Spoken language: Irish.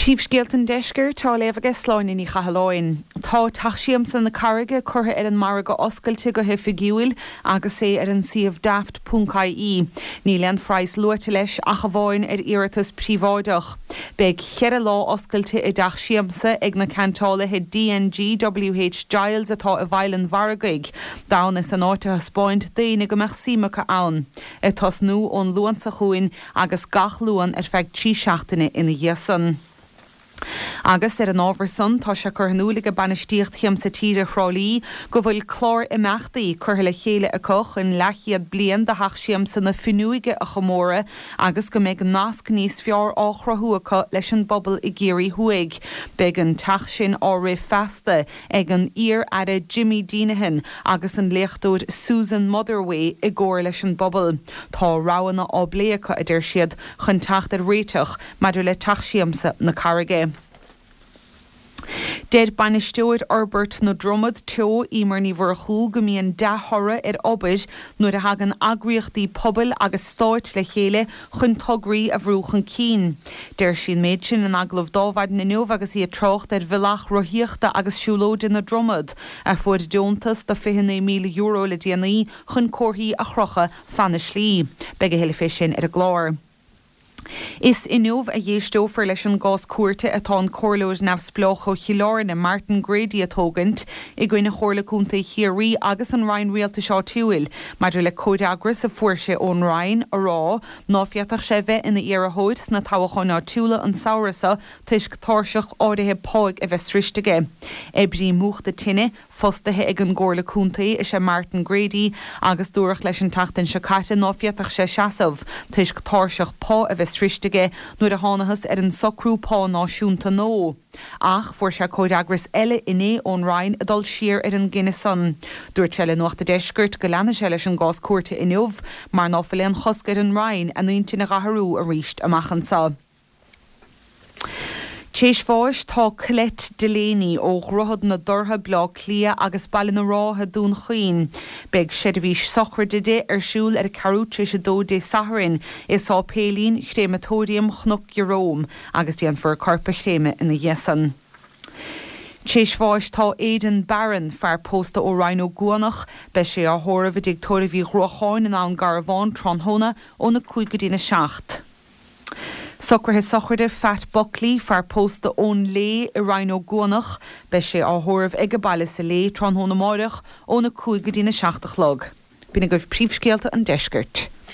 Príomhscéalta an Deiscirt á léamh aige Sláine Ní Chathalláin. Tá Teach Siamsa na Carraige curtha ar an margadh oscailte go hoifigiúil agus é ar an suíomh daft ponc ie. Níl aon phraghas luaite leis ach amháin ar iarratas príobháideach. Beidh cheithre lá oscailte i dTeach Siamsa ag na ceantálaithe DNG WH Giles atá i bhFaill an Mhargaidh, d'fhonn is an áit a thaispeáint d'éinne go mbeadh suim acu ann. Ag tosnú ón Luan seo chugainn agus gach Luan ar feadh 3 seachtaine ina dhiaidh san. Agus ar an ábhar san, tá sé curtha in iúil aige bainistíocht Shiamsa Tíre Thrá Lí go bhfuil clár imeachtaí curtha le chéile acu chun leathchéad bliain de Theach Siamsa na Fuinneoige a chomóradh agus go mbeidh nasc níos fearr á chruthú acu leis an bpobal i gCiarraí Thuaidh. Beidh an teach sin á rith feasta ag an iar-aire Jimmy Deenihan agus an léachtóir Susan Motherway i gcomhar leis an bpobal. Tá roghanna á bplé acu, a deir siad, chun teacht ar réiteach maidir le Teach Siamsa na Carraige. Deir Bainisteoir Fhorbairt na Dromad Teo, Emer Ní Mhurchú, go mbíonn dea-thoradh ar obair nuair a thagann eagraíochtaí pobail agus stáit le chéile chun tograí a bhrú chun cinn. Deir sí an méid sin in agallamh d'Adhmhaidin inniu agus í ag trácht ar Bhealach Rothaíochta agus Siúlóide na Dromad, a fuair deontas de €29,000 le déanaí chun comharthaí a chrochadh fan na slí. Beidh a thuilleadh fé sin ar an gclár. Is inniu a dh'éisteofar leis an gcás cúirte atá an comhairleoir neamhspleách ó Chill Airne, Martin Grady a tógaint i gcoinne Chomhairle Contae Chiarraí agus an Roinn Rialtais Áitiúil maidir le comhfhreagras a fuair sé ón Roinn a rá ná féadfadh sé bheith ina iarrthóir sna toghacháin áitiúla an samhradh seo toisc tairseach áirithe páigh a bheith sroiste aige. Oibrí múchta tine, fostaithe ag an gComhairle Contae is ea Martin Grady agus dúradh leis an tseachtain seo caite ná féadfadh sé seasamh toisc tairseach pá a bheith sroiste aige nuair a thánathas ar an socrú pá náisiúnta nua. Ach fuair sé comhfhreagras eile inné ón Roinn ag dul siar ar an gcinneadh san. Dúirt sé le Nuacht a' Deiscirt go leanfaidh sé leis an gcás cúirte inniu mar ná fuil aon chosc ar an Roinn a n-intinn a dh'athrú arís amach anso. T'éis bháis tá Colette Delaney ó Dhroichead na dTortha, Bleá Cliath agus Baile na Rátha, Dún Chaoin. Beidh seirbhís sochraide di ar siúl ar a ceathrú tar éis a dó Dé Sathairn i Sáipéilín Chréamatóiriam Chnoc Jerome agus déanfar a corp a chréamadh ina dhiaidh san. T'éis bháis tá Aidan Barron, fear pósta ó Rinn Ó gCuanach. Beidh sé á thórramh i dTigh Tórraimh Uí Ghruacháin in Abhainn Garbhán tráthnóna óna 5 go dtína 7. Socruithe sochraide Phat Buckley, fear pósta ón Lé i Rinn Ó gCuanach. Beidh sé á thórramh age baile sa Lé tráthnóna amáireach óna 5 go dtína 7 a chlog. B'in agaibh príomhscéalta an deiscirt.